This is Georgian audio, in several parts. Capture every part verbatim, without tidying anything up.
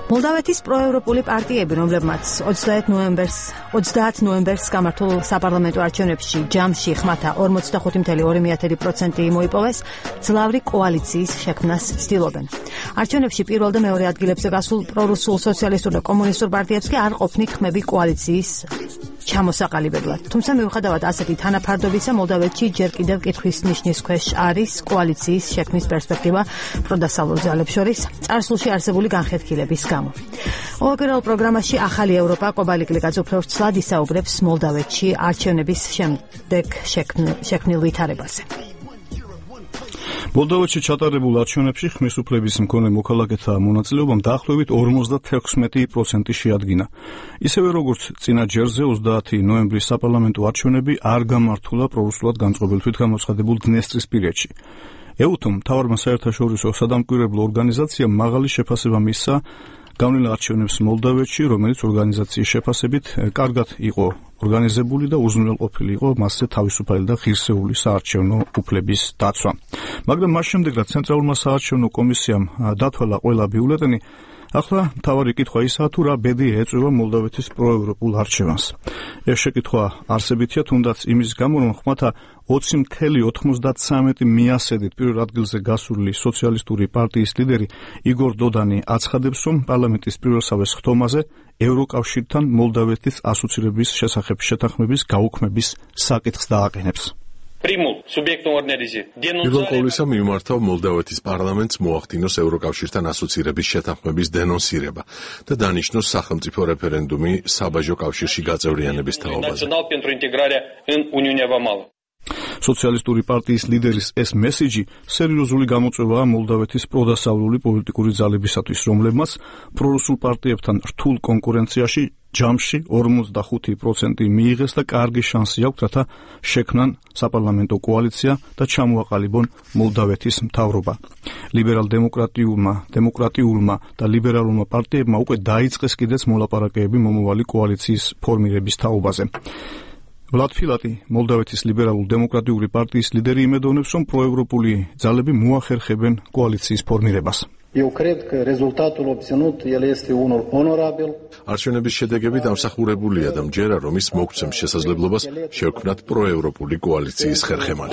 მოლდავეთის პროევროპული პარტიები, რომლებმაც ოცდაათ ნოემბერს გამართულ საპარლამენტო არჩევნებში ჯამში ხმათა ორმოცდახუთი წამყვანი ორი პროცენტი მოიპოვეს, ძლავრი კოალიციის შექმნას ცდილობენ. არჩევნებში პირველ და მეორე ადგილებზე გასულ პრორუსულ სოციალისტურ და კომუნისტურ პარტიებს კი არ ყოფნით ხმები კოალიციის ჩამოსაყალიბებლად. თუმცა მიუხედავად ასეთი თანაფარდობისა, მოლდავეთში ჯერ კიდევ კითხვის ნიშნის ქვეშ არის კოალიციის შექმნის პერსპექტივა პროდასავლურ ძალებს შორის წარსულში არსებული განხეთქილების გამო. ყოველკვირეულ პროგრამაში ახალი ევროპა კობალი კლიკაც უფრო ვრცლად ისაუბრებს მოლდავეთში არჩევნების შემდეგ შექმნილ ვითარებაზე. მოლდავეთში ჩატარებულ არჩევნებში ხმის უფლების მქონე მოქალაქეთა მონაწილეობამ დაახლოებით ორმოცდათექვსმეტი პროცენტი შეადგინა. ისევე როგორც წინა ჯერზე ოცდაათი ნოემბრის საპარლამენტო არჩევნები არ გამართულა პრორუსულად განწყობილ თვითგამოცხადებულ დნესტრისპირეთში. ეუთომ მთავარმა საერთაშორისო სადამკვირვებლო ორგანიზაციამ მაღალი შეფასება მისცა გავლილ არჩევნებს მოლდავეთში, რომელიც ორგანიზაციის შეფასებით კარგად იყო ორგანიზებული და უზრუნველყოფილი იყო მასზე თავისუფალი და ღირსეული საარჩევნო უფლების დაცვა. მაგრამ მას შემდეგ, რაც ცენტრალურმა საარჩევნო კომისიამ დათვალა ყველა ბიულეტენი, ახლა მთავარი კითხვა ისაა, თუ რა ბედი ეწევა მოლდავეთის პროევროპულ არჩევანს. ეს შეკითხვა არსებითია, თუნდაც იმის გამო, რომ ხმათა ოცი წამყვანი ოცდათსამეტი მიასედით პირველ ადგილზე გასული სოციალისტური პარტიის ლიდერი იგორ დოდანი აცხადებს, რომ პარლამენტის პირველსავეს ხდომაზე ევროკავშირთან მოლდავეთის ასოცირების შესახებ შეთანხმების გაუქმების საკითხს დააყენებს. პირველ ყოვლისა მიმართავ მოლდავეთის პარლამენტს მოახდინოს ევროკავშირთან ასოცირების შეთანხმების დენონსირება და დანიშნოს სახელმწიფო რეფერენდუმი საბაჟო კავშირში გაწევრიანების თაობაზე. სოციალისტური პარტიის ლიდერის ეს მესიჯი სერიოზული გამოწვევაა მოლდავეთის პროდასავლური პოლიტიკური ძალებისათვის, რომლებმაც პრორუსულ პარტიებთან რთულ კონკურენციაში ჯამში ორმოცდახუთი პროცენტი მიიღეს და კარგი შანსი აქვთ, რათა შექმნან საპარლამენტო კოალიცია და ჩამოაყალიბონ მოლდავეთის მთავრობა. ლიბერალ-დემოკრატიულმა, დემოკრატიულმა და ლიბერალურმა პარტიებმა უკვე დაიწყეს კიდეც მოლაპარაკებები მომავალი კოალიციის ფორმირების თაობაზე. ვლად ფილატი, მოლდავეთის ლიბერალურ-დემოკრატიული პარტიის ლიდერი, იმედოვნებს, რომ პროევროპული ძალები მოახერხებენ კოალიციის ფორმირებას. არჩევნების შედეგები დამსახურებულია და მჯერა, რომ ის მოგცემს შესაძლებლობას შევქმნათ პროევროპული კოალიციის ხერხემალი.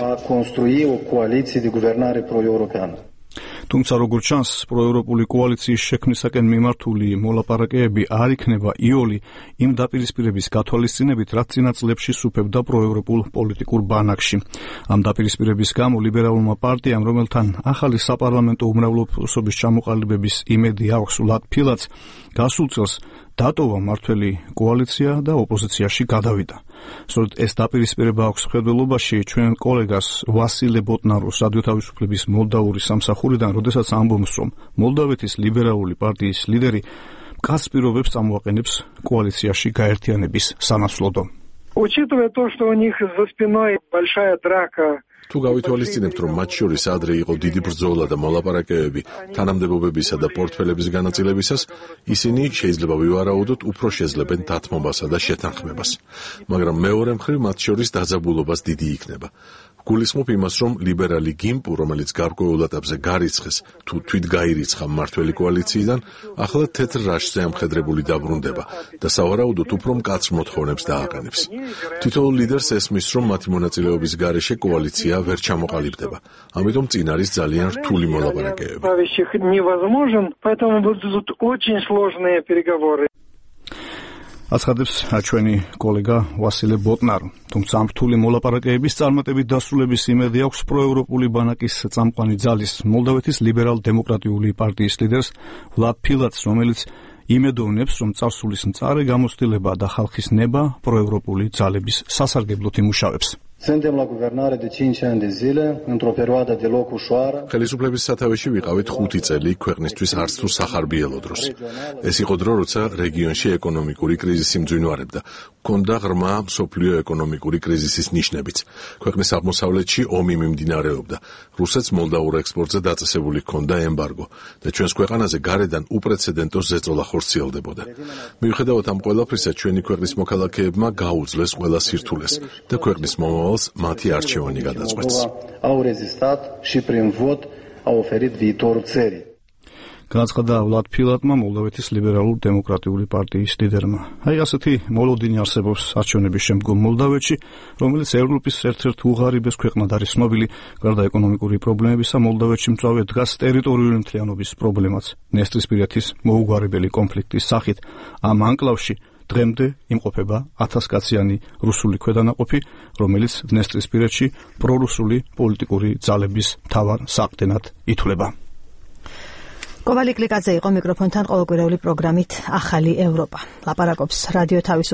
თუმცა როგორც ჩანს, პროევროპული კოალიციის შექმნისაკენ მიმართული მოლაპარაკებები არ იქნება იოლი იმ დაპირისპირების გათვალისწინებით, რაც წინა წლებში სუფევდა პროევროპულ პოლიტიკურ ბანაკში. ამ დაპირისპირების გამო ლიბერალურმა პარტიამ, რომელთან ახალი საპარლამენტო უმრავლესობის ჩამოყალიბების იმედი აქვს ვლად ფილატს, გასულ წელს დატოვა მართველი კოალიცია და ოპოზიციაში გადავიდა. სწორედ ეს დაპირისპირება აქვს მხედველობაში ჩვენ კოლეგას ვასილე ბოტნაროს რადიო თავისუფლების მოლდავური სამსახურიდან, როდესაც ამბობს, რომ მოლდავეთის ლიბერალური პარტიის ლიდერი მკაცრ პირობებს წამოაყენებს კოალიციაში გაერთიანების სანაცვლოდ. Учитывая то, что у них за спиной большая драка. თუ გავითვალისწინებთ, რომ მათ შორის ადრე იყო დიდი ბრძოლა და მოლაპარაკებები თანამდებობებისა და პორტფელების განაწილებისას, ისინი შეიძლება ვივარაუდოთ უფრო შეძლებენ დათმობასა და შეთანხმებას. მაგრამ მეორე მხრივ მათ შორის დაძაბულობას დიდი იქნება. გულისხმობ იმას, რომ ლიბერალი გიმპუ, რომელიც გარკვეულ ეტაპზე გარიცხეს თუ თვით გაირიცხა მმართველი კოალიციიდან, ახლა თეთრ რაშზე ამხედრებული დაბრუნდება და სავარაუდოდ უფრო მკაცრ მოთხოვნებს დააყენებს. თითოეულ ლიდერს ესმის, რომ მათი მონაწილეობის გარეშე კოალიცია ვერ ჩამოყალიბდება. ამიტომ წინ არის ძალიან რთული მოლაპარაკებები. აცხადებს ჩვენი კოლეგა ვასილე ბოტნარო. თუმცა ამ რთული მოლაპარაკებების წარმატებით დასრულების იმედი აქვს პროევროპული ბანაკის წამყვანი ძალის, მოლდავეთის ლიბერალ-დემოკრატიული პარტიის ლიდერს ვლად ფილატს, რომელიც იმედოვნებს, რომ წარსულის მწარე გამოცდილება და ხალხის ნება პროევროპული ძალების სასარგებლოდ იმუშავებს. ხელისუფლების სათავეში ვიყავით ხუთი წელი ქვეყნისთვის არც თუ სახარბიელო დროს. ეს იყო დრო, როცა რეგიონში ეკონომიკური კრიზისი მძვინვარებდა. ჰქონდა ღრმა მსოფლიო ეკონომიკური კრიზისის ნიშნებიც. ქვეყნის აღმოსავლეთში ომი მიმდინარეობდა. რუსეთს მოლდაურ ექსპორტზე დაწესებული ჰქონდა ემბარგო და ჩვენს ქვეყანაზე გარედან უპრეცედენტო ზეწოლა ხორციელდებოდა. მიუხედავად ამ ყველაფრისა, ჩვენი ქვეყნის მოქალაქეებმა გაუძლეს ყველა სირთულეს და ქვეყნის მომავალს მათი არჩევანი გადაწყვეტს. განაცხადა ვლად ფილატმა, მოლდავეთის ლიბერალურ დემოკრატიული პარტიის ლიდერმა. აი ასეთი მოლოდინი არსებობს არჩევნების შემდგომ მოლდავეთში, რომელიც ევროპის ერთ-ერთ უღარიბეს ქვეყნად არის ცნობილი, გარდა ეკონომიკური პრობლემებისა, მოლდავეთში მწვავე დგას ტერიტორიული მთლიანობის პრობლემაც, დნესტრისპირეთის მოუგვარებელი კონფლიქტის სახით. ამ ანკლავში დღემდე იმყოფება ათასკაციანი რუსული ქვედანაყოფი, რომელიც დნესტრისპირეთში პრორუსული პოლიტიკური ძალების მთავარ საყრდენად ითვლება. კოვალი კლიკაძე იყო მიკროფონთან ყოველკვირეული პროგრამით ახალი ევროპა. ლაპარაკობს რადიო თავისუფლება